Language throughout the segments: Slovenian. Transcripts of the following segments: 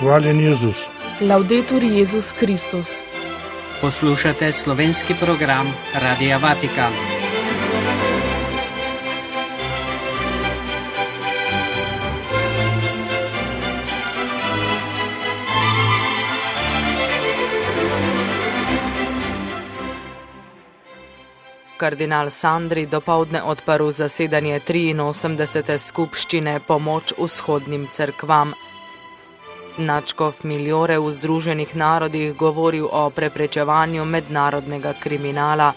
Hvaljen Jezus. Laudetur Jezus Kristus. Poslušate slovenski program Radia Vatikan. Kardinal Sandri dopoldne odprl zasedanje 83. skupščine Pomoč vzhodnim cerkvam. Nadškof Migliore v Združenih narodih govoril o preprečevanju mednarodnega kriminala.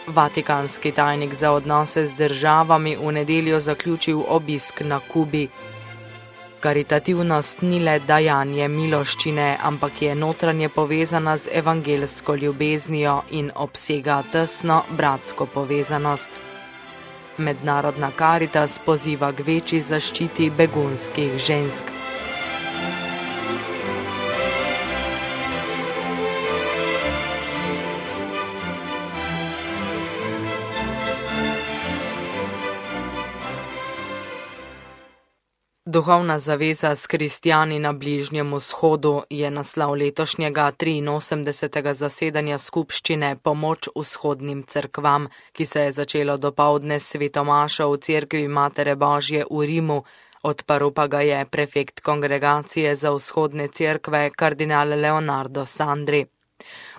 Vatikanski tajnik za odnose z državami v nedeljo zaključil obisk na Kubi. Karitativnost ni le dajanje miloščine, ampak je notranje povezana z evangelsko ljubeznijo in obsega tesno bratsko povezanost. Mednarodna Karitas poziva k večji zaščiti begunskih žensk. Duhovna zaveza s kristjani na Bližnjem vzhodu je naslov letošnjega 83. zasedanja skupščine Pomoč vzhodnim cerkvam, ki se je začelo dopoldne s svetomašo v cerkvi Matere Božje v Rimu, odprl pa ga je prefekt kongregacije za vzhodne cerkve kardinal Leonardo Sandri.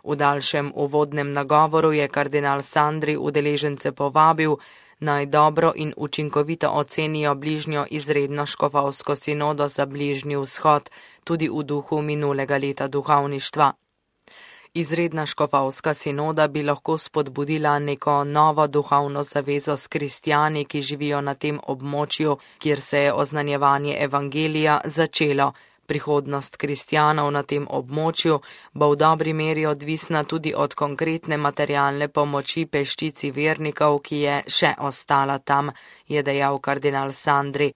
V daljšem uvodnem nagovoru je kardinal Sandri udeležence povabil, naj dobro in učinkovito ocenijo bližnjo izredno škofovsko sinodo za Bližnji vzhod, tudi v duhu minulega leta duhovništva. Izredna škofovska sinoda bi lahko spodbudila neko novo duhovno zavezo s kristjani, ki živijo na tem območju, kjer se je oznanjevanje evangelija začelo. Prihodnost kristjanov na tem območju bo v dobri meri odvisna tudi od konkretne materialne pomoči peščici vernikov, ki je še ostala tam, je dejal kardinal Sandri.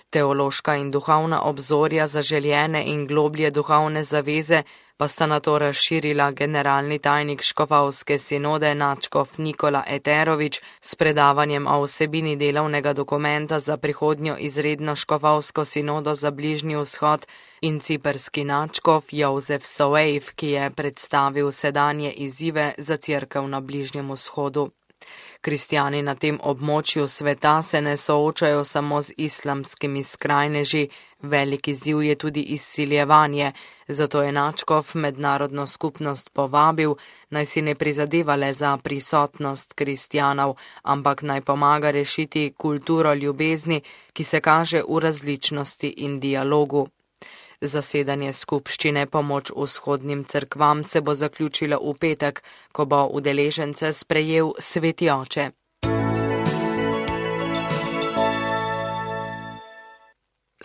Teološka in duhovna obzorja zaželjene in globlje duhovne zaveze pa sta nato razširila generalni tajnik škofovske sinode nadškof Nikola Eterović s predavanjem o vsebini delovnega dokumenta za prihodnjo izredno škofovsko sinodo za Bližnji vzhod in ciperski nadškof Jozef Soejf, ki je predstavil sedanje izzive za cerkev na Bližnjem vzhodu. Kristjani na tem območju sveta se ne soočajo samo z islamskimi skrajneži, velik izziv je tudi izsiljevanje, zato je nadškof mednarodno skupnost povabil, naj si ne prizadeva le za prisotnost kristjanov, ampak naj pomaga rešiti kulturo ljubezni, ki se kaže v različnosti in dialogu. Zasedanje skupščine Pomoč vzhodnim cerkvam se bo zaključilo v petek, ko bo udeležence sprejel Sveti oče.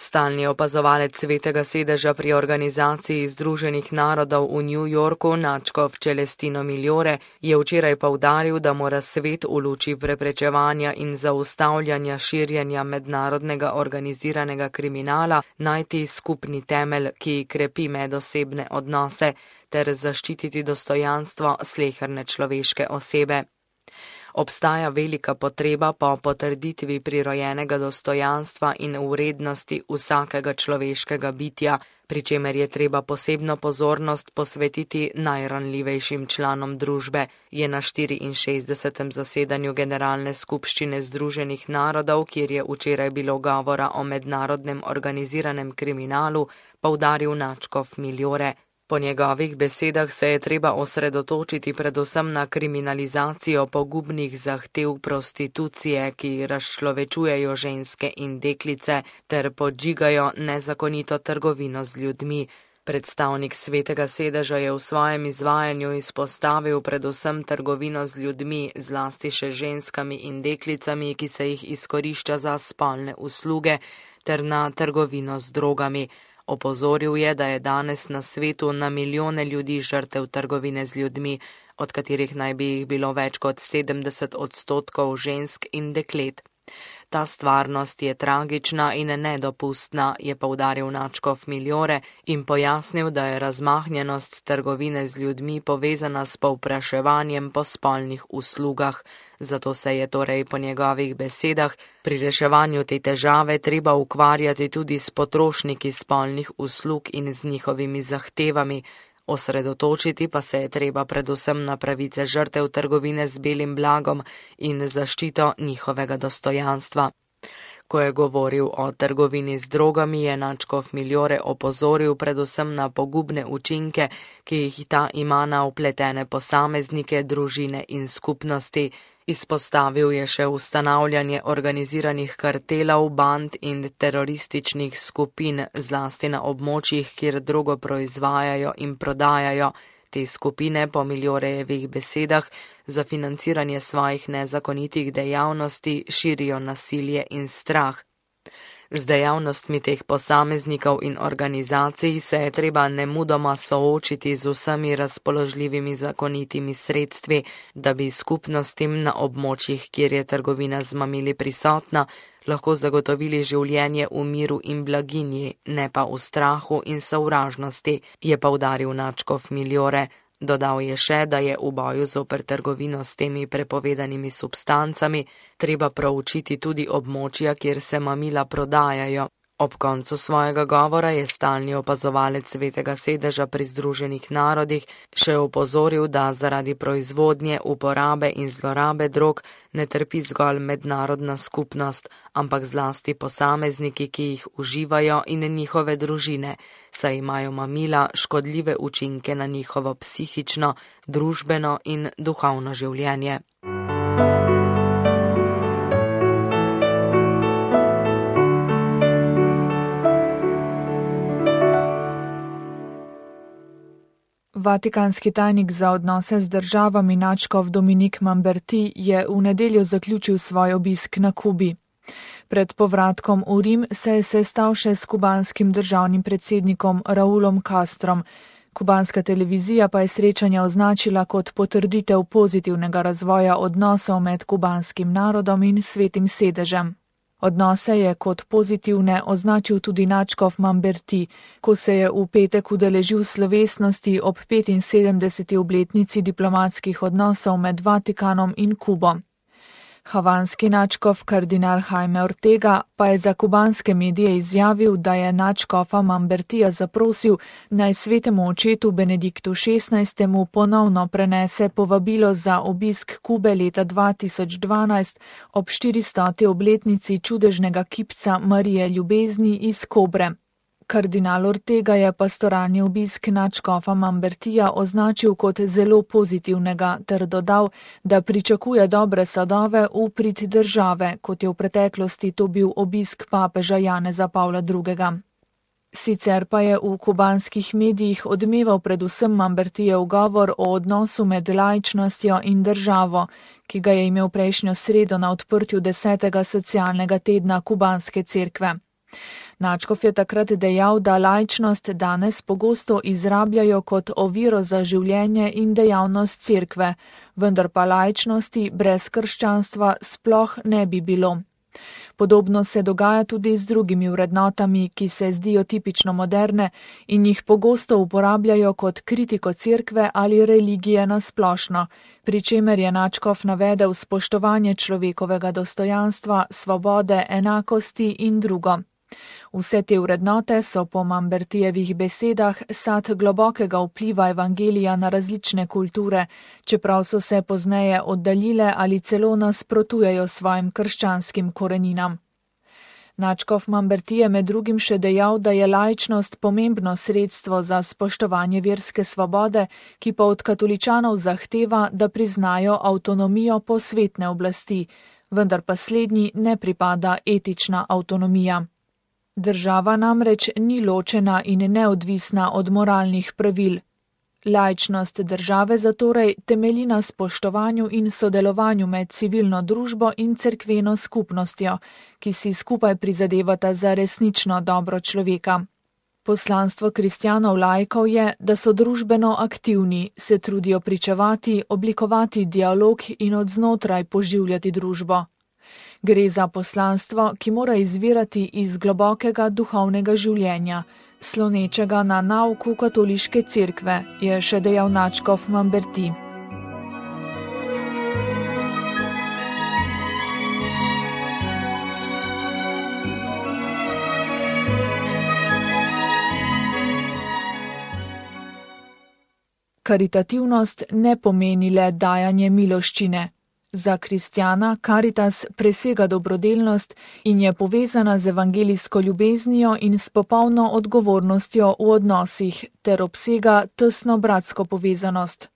Stalni opazovalec Svetega sedeža pri Organizaciji Združenih narodov v New Yorku, nadškof Celestino Migliore, je včeraj poudaril, da mora svet v luči preprečevanja in zaustavljanja širjenja mednarodnega organiziranega kriminala najti skupni temelj, ki krepi medosebne odnose, ter zaščititi dostojanstvo sleherne človeške osebe. Obstaja velika potreba po potrditvi prirojenega dostojanstva in vrednosti vsakega človeškega bitja, pri čemer je treba posebno pozornost posvetiti najranljivejšim članom družbe, je na 64. zasedanju Generalne skupščine Združenih narodov, kjer je včeraj bilo govora o mednarodnem organiziranem kriminalu, poudaril nadškof Migliore. Po njegovih besedah se je treba osredotočiti predvsem na kriminalizacijo pogubnih zahtev prostitucije, ki razčlovečujejo ženske in deklice ter podžigajo nezakonito trgovino z ljudmi. Predstavnik Svetega sedeža je v svojem izvajanju izpostavil predvsem trgovino z ljudmi, zlasti še ženskami in deklicami, ki se jih izkorišča za spolne usluge, ter na trgovino z drogami. Opozoril je, da je danes na svetu na milijone ljudi žrtev trgovine z ljudmi, od katerih naj bi jih bilo več kot 70% žensk in deklet. Ta stvarnost je tragična in nedopustna, je poudaril nadškof Miljore in pojasnil, da je razmahnjenost trgovine z ljudmi povezana s povpraševanjem po spolnih uslugah. Zato se je torej po njegovih besedah pri reševanju te težave treba ukvarjati tudi s potrošniki spolnih uslug in z njihovimi zahtevami. Osredotočiti pa se je treba predvsem na pravice žrtev trgovine z belim blagom in zaščito njihovega dostojanstva. Ko je govoril o trgovini z drogami, je nadškof Miljore opozoril predvsem na pogubne učinke, ki jih ta ima na vpletene posameznike, družine in skupnosti. Izpostavil je še ustanavljanje organiziranih kartelov, band in terorističnih skupin, zlasti na območjih, kjer drogo proizvajajo in prodajajo. Te skupine po Miljorejevih besedah za financiranje svojih nezakonitih dejavnosti širijo nasilje in strah. Z dejavnostmi teh posameznikov in organizacij se je treba nemudoma soočiti z vsemi razpoložljivimi zakonitimi sredstvi, da bi skupnostim na območjih, kjer je trgovina z mamili prisotna, lahko zagotovili življenje v miru in blaginji, ne pa v strahu in sovražnosti, je poudaril nadškof Miljore. Dodal je še, da je v boju zoper trgovino s temi prepovedanimi substancami treba proučiti tudi območja, kjer se mamila prodajajo. Ob koncu svojega govora je stalni opazovalec Svetega sedeža pri Združenih narodih še opozoril, da zaradi proizvodnje, uporabe in zlorabe drog ne trpi zgolj mednarodna skupnost, ampak zlasti posamezniki, ki jih uživajo in njihove družine, saj imajo mamila škodljive učinke na njihovo psihično, družbeno in duhovno življenje. Vatikanski tajnik za odnose z državami nadškof Dominik Mamberti je v nedeljo zaključil svoj obisk na Kubi. Pred povratkom v Rim se je sestal še s kubanskim državnim predsednikom Raulom Castrom. Kubanska televizija pa je srečanje označila kot potrditev pozitivnega razvoja odnosov med kubanskim narodom in Svetim sedežem. Odnose je kot pozitivne označil tudi nadškof Mamberti, ko se je v petek udeležil slovesnosti ob 75. obletnici diplomatskih odnosov med Vatikanom in Kubo. Havanski nadškof kardinal Jaime Ortega pa je za kubanske medije izjavil, da je nadškofa Mambertija zaprosil, naj svetemu očetu Benediktu XVI. Ponovno prenese povabilo za obisk Kube leta 2012 ob 400. obletnici čudežnega kipca Marije ljubezni iz Kobre. Kardinal Ortega je pastoralni obisk nadškofa Mambertija označil kot zelo pozitivnega ter dodal, da pričakuje dobre sadove v prid države, kot je v preteklosti to bil obisk papeža Janeza Pavla II. Sicer pa je v kubanskih medijih odmeval predvsem Mambertijev govor o odnosu med laičnostjo in državo, ki ga je imel prejšnjo sredo na odprtju 10. socialnega tedna kubanske cerkve. Nadškof je takrat dejal, da laičnost danes pogosto izrabljajo kot oviro za življenje in dejavnost cerkve, vendar pa laičnosti brez krščanstva sploh ne bi bilo. Podobno se dogaja tudi z drugimi vrednotami, ki se zdijo tipično moderne in jih pogosto uporabljajo kot kritiko cerkve ali religije na splošno, pri čemer je nadškof navedel spoštovanje človekovega dostojanstva, svobode, enakosti in drugo. Vse te vrednote so po Mambertijevih besedah sad globokega vpliva evangelija na različne kulture, čeprav so se pozneje oddaljile ali celo nasprotujejo svojim krščanskim koreninam. Nadškof Mamberti je med drugim še dejal, da je laičnost pomembno sredstvo za spoštovanje verske svobode, ki pa od katoličanov zahteva, da priznajo avtonomijo posvetne oblasti, vendar pa slednji ne pripada etična avtonomija. Država namreč ni ločena in neodvisna od moralnih pravil. Laičnost države zatorej temelji na spoštovanju in sodelovanju med civilno družbo in cerkveno skupnostjo, ki si skupaj prizadevata za resnično dobro človeka. Poslanstvo kristjanov laikov je, da so družbeno aktivni, se trudijo pričevati, oblikovati dialog in od znotraj poživljati družbo. Gre za poslanstvo, ki mora izvirati iz globokega duhovnega življenja, slonečega na nauku katoliške cerkve, je še dejal nadškof Mamberti. Karitativnost ne pomeni le dajanje miloščine. Za kristjana karitas presega dobrodelnost in je povezana z evangelijsko ljubeznijo in s popolno odgovornostjo v odnosih ter obsega tesno bratsko povezanost.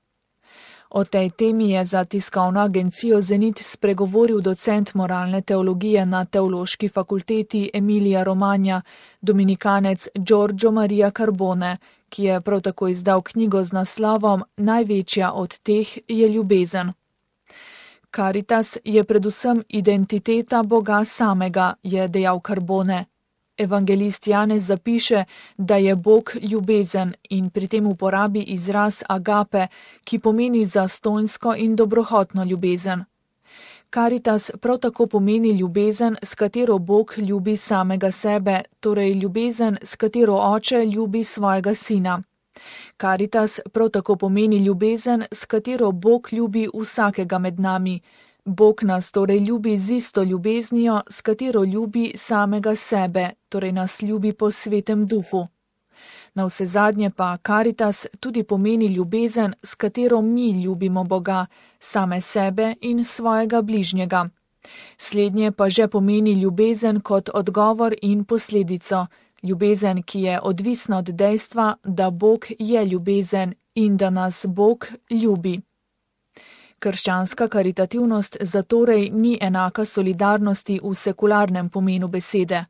O tej temi je za tiskovno agencijo Zenit spregovoril docent moralne teologije na Teološki fakulteti Emilija Romagna, dominikanec Giorgio Maria Carbone, ki je prav tako izdal knjigo z naslovom Največja od teh je ljubezen. Karitas je predvsem identiteta Boga samega, je dejal Carbone. Evangelist Janez zapiše, da je Bog ljubezen in pri tem uporabi izraz agape, ki pomeni zastonjsko in dobrohotno ljubezen. Karitas prav tako pomeni ljubezen, s katero Bog ljubi samega sebe, torej ljubezen, s katero oče ljubi svojega sina. Karitas prav tako pomeni ljubezen, s katero Bog ljubi vsakega med nami. Bog nas torej ljubi z isto ljubeznijo, s katero ljubi samega sebe, torej nas ljubi po svetem duhu. Navsezadnje pa karitas tudi pomeni ljubezen, s katero mi ljubimo Boga, same sebe in svojega bližnjega. Slednje pa že pomeni ljubezen kot odgovor in posledico, ljubezen, ki je odvisna od dejstva, da Bog je ljubezen in da nas Bog ljubi. Krščanska karitativnost zatorej ni enaka solidarnosti v sekularnem pomenu besede.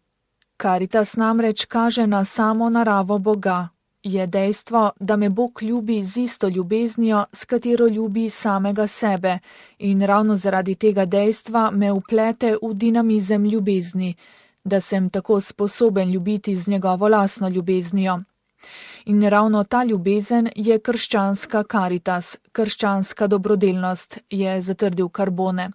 Karitas namreč kaže na samo naravo Boga. Je dejstvo, da me Bog ljubi z isto ljubeznijo, s katero ljubi samega sebe, in ravno zaradi tega dejstva me vplete v dinamizem ljubezni, da sem tako sposoben ljubiti z njegovo lastno ljubeznijo. In ravno ta ljubezen je krščanska karitas, krščanska dobrodelnost, je zatrdil Carbone.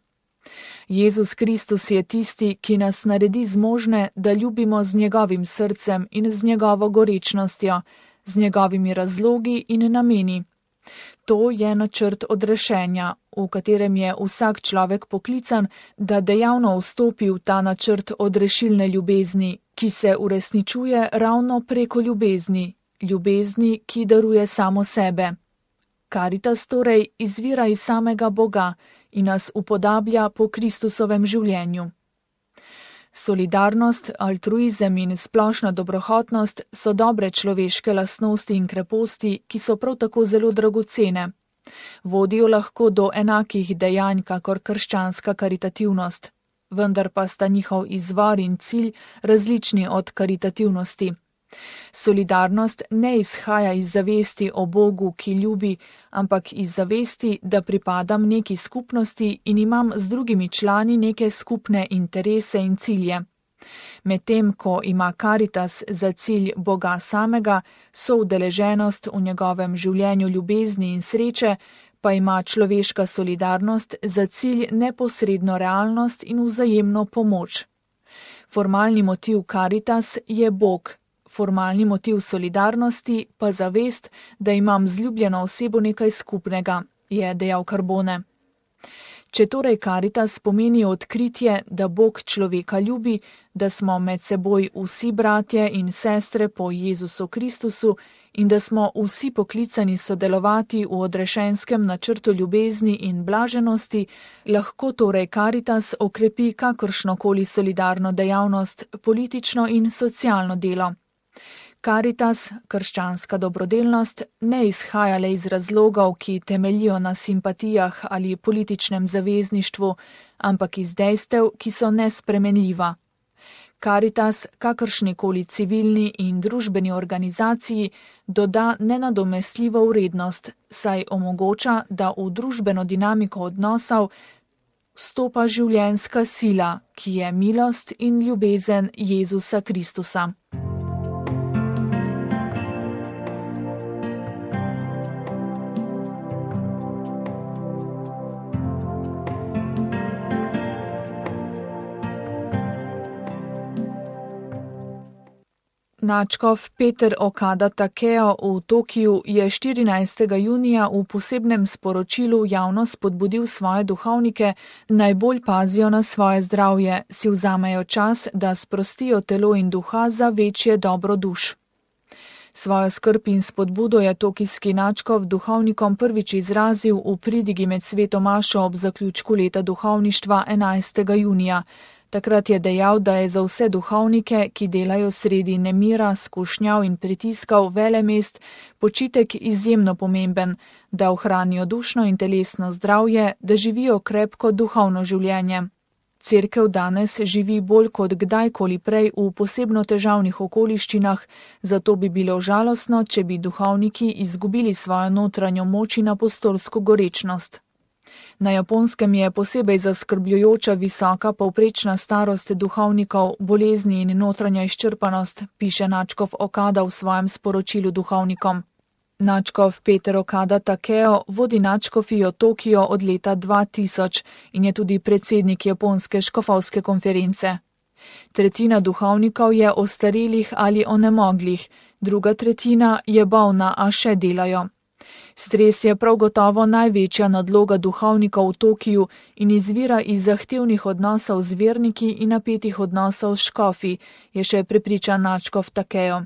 Jezus Kristus je tisti, ki nas naredi zmožne, da ljubimo z njegovim srcem in z njegovo gorečnostjo, z njegovimi razlogi in nameni. To je načrt odrešenja, v katerem je vsak človek poklican, da dejavno vstopi v ta načrt odrešilne ljubezni, ki se uresničuje ravno preko ljubezni, ljubezni, ki daruje samo sebe. Karitas torej izvira iz samega Boga in nas upodablja po Kristusovem življenju. Solidarnost, altruizem in splošna dobrohotnost so dobre človeške lastnosti in kreposti, ki so prav tako zelo dragocene. Vodijo lahko do enakih dejanj kakor krščanska karitativnost, vendar pa sta njihov izvor in cilj različni od karitativnosti. Solidarnost ne izhaja iz zavesti o Bogu, ki ljubi, ampak iz zavesti, da pripadam neki skupnosti in imam z drugimi člani neke skupne interese in cilje. Medtem ko ima karitas za cilj Boga samega, soudeleženost v njegovem življenju ljubezni in sreče, pa ima človeška solidarnost za cilj neposredno realnost in vzajemno pomoč. Formalni motiv karitas je Bog. Formalni motiv solidarnosti pa zavest, da imam z ljubljeno osebo nekaj skupnega, je dejal Carbone. Če torej karitas pomeni odkritje, da Bog človeka ljubi, da smo med seboj vsi bratje in sestre po Jezusu Kristusu in da smo vsi poklicani sodelovati v odrešenskem načrtu ljubezni in blaženosti, lahko torej karitas okrepi kakršnokoli solidarno dejavnost, politično in socialno delo. Karitas, krščanska dobrodelnost, ne izhaja le iz razlogov, ki temeljijo na simpatijah ali političnem zavezništvu, ampak iz dejstev, ki so nespremenljiva. Karitas, kakršnikoli civilni in družbeni organizaciji, doda nenadomestljivo vrednost, saj omogoča, da v družbeno dinamiko odnosov vstopa življenjska sila, ki je milost in ljubezen Jezusa Kristusa. Nadškof Peter Okada Takeo v Tokiju je 14. junija v posebnem sporočilu javno spodbudil svoje duhovnike, naj bolj pazijo na svoje zdravje, si vzamejo čas, da sprostijo telo in duha za večje dobro duš. Svojo skrb in spodbudo je tokijski nadškof duhovnikom prvič izrazil v pridigi med sveto mašo ob zaključku leta duhovništva 11. junija. Takrat je dejal, da je za vse duhovnike, ki delajo sredi nemira, skušnjav in pritiskov velemest, počitek izjemno pomemben, da ohranijo dušno in telesno zdravje, da živijo krepko duhovno življenje. Cerkev danes živi bolj kot kdajkoli prej v posebno težavnih okoliščinah, zato bi bilo žalostno, če bi duhovniki izgubili svojo notranjo moč in apostolsko gorečnost. Na Japonskem je posebej zaskrbljujoča visoka povprečna starost duhovnikov, bolezni in notranja izčrpanost, piše nadškof Okada v svojem sporočilu duhovnikom. Nadškof Peter Okada Takeo vodi nadškofijo Tokio od leta 2000 in je tudi predsednik Japonske škofovske konference. Tretjina duhovnikov je ostarelih ali onemoglih, druga tretjina je bolna, a še delajo. Stres je prav gotovo največja nadloga duhovnikov v Tokiju in izvira iz zahtevnih odnosov z verniki in napetih odnosov s škofi, je še prepričan nadškof Takeo.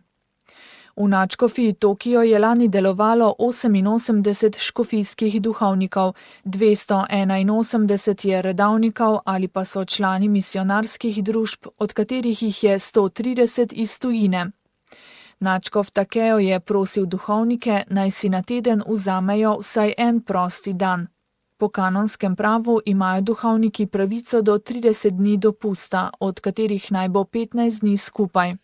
V nadškofiji Tokio je lani delovalo 88 škofijskih duhovnikov, 281 je redavnikov ali pa so člani misionarskih družb, od katerih jih je 130 iz tujine. Nadškof Takeo je prosil duhovnike, naj si na teden vzamejo vsaj en prosti dan. Po kanonskem pravu imajo duhovniki pravico do 30 dni dopusta, od katerih naj bo 15 dni skupaj.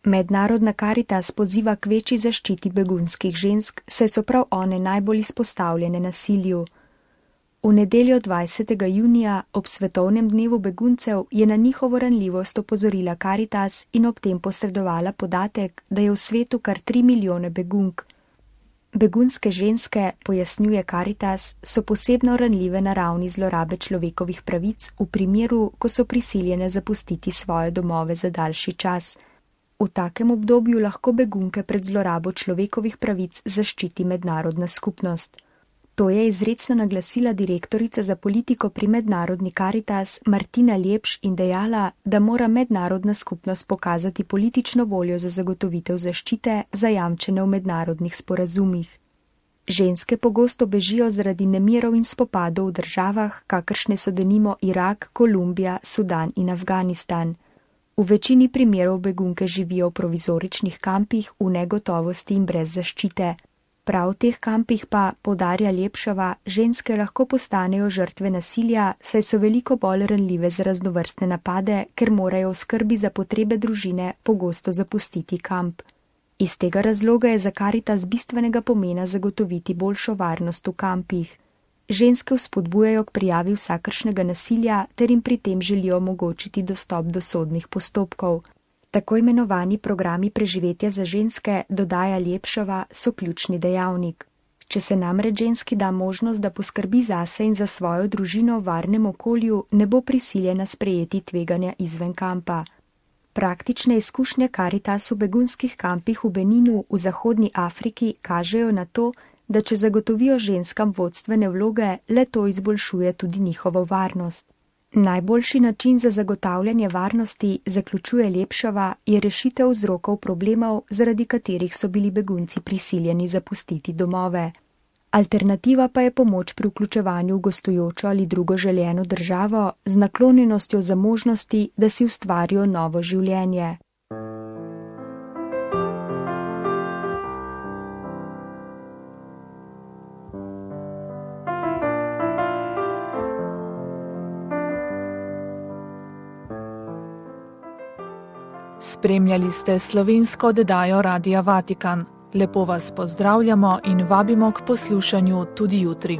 Mednarodna Karitas poziva k večji zaščiti begunskih žensk, saj so prav one najbolj izpostavljene nasilju. V nedeljo 20. junija ob svetovnem dnevu beguncev je na njihovo ranljivost opozorila Karitas in ob tem posredovala podatek, da je v svetu kar 3 milijone begunk. Begunske ženske, pojasnjuje Karitas, so posebno ranljive na ravni zlorabe človekovih pravic v primeru, ko so prisiljene zapustiti svoje domove za daljši čas. V takem obdobju lahko begunke pred zlorabo človekovih pravic zaščiti mednarodna skupnost. To je izrecno naglasila direktorica za politiko pri mednarodni Karitas Martina Lepš in dejala, da mora mednarodna skupnost pokazati politično voljo za zagotovitev zaščite zajamčene v mednarodnih sporazumih. Ženske pogosto bežijo zaradi nemirov in spopadov v državah, kakršne so denimo Irak, Kolumbija, Sudan in Afganistan. V večini primerov begunke živijo v provizoričnih kampih v negotovosti in brez zaščite. Prav v teh kampih pa, poudarja Lepšova, ženske lahko postanejo žrtve nasilja, saj so veliko bolj ranljive za raznovrstne napade, ker morajo v skrbi za potrebe družine pogosto zapustiti kamp. Iz tega razloga je za Karitas bistvenega pomena zagotoviti boljšo varnost v kampih. Ženske vzpodbujajo k prijavi vsakršnega nasilja ter jim pri tem želijo omogočiti dostop do sodnih postopkov. Tako imenovani programi preživetja za ženske, dodaja Lepšova, so ključni dejavnik. Če se namreč ženski da možnost, da poskrbi zase in za svojo družino v varnem okolju, ne bo prisiljena sprejeti tveganja izven kampa. Praktične izkušnje Karitas v begunskih kampih v Beninu v Zahodni Afriki kažejo na to, da če zagotovijo ženskam vodstvene vloge, le to izboljšuje tudi njihovo varnost. Najboljši način za zagotavljanje varnosti, zaključuje Lepšova, je rešitev vzrokov problemov, zaradi katerih so bili begunci prisiljeni zapustiti domove. Alternativa pa je pomoč pri vključevanju v gostujočo ali drugo željeno državo z naklonjenostjo za možnosti, da si ustvarijo novo življenje. Spremljali ste slovensko oddajo Radia Vatikan. Lepo vas pozdravljamo in vabimo k poslušanju tudi jutri.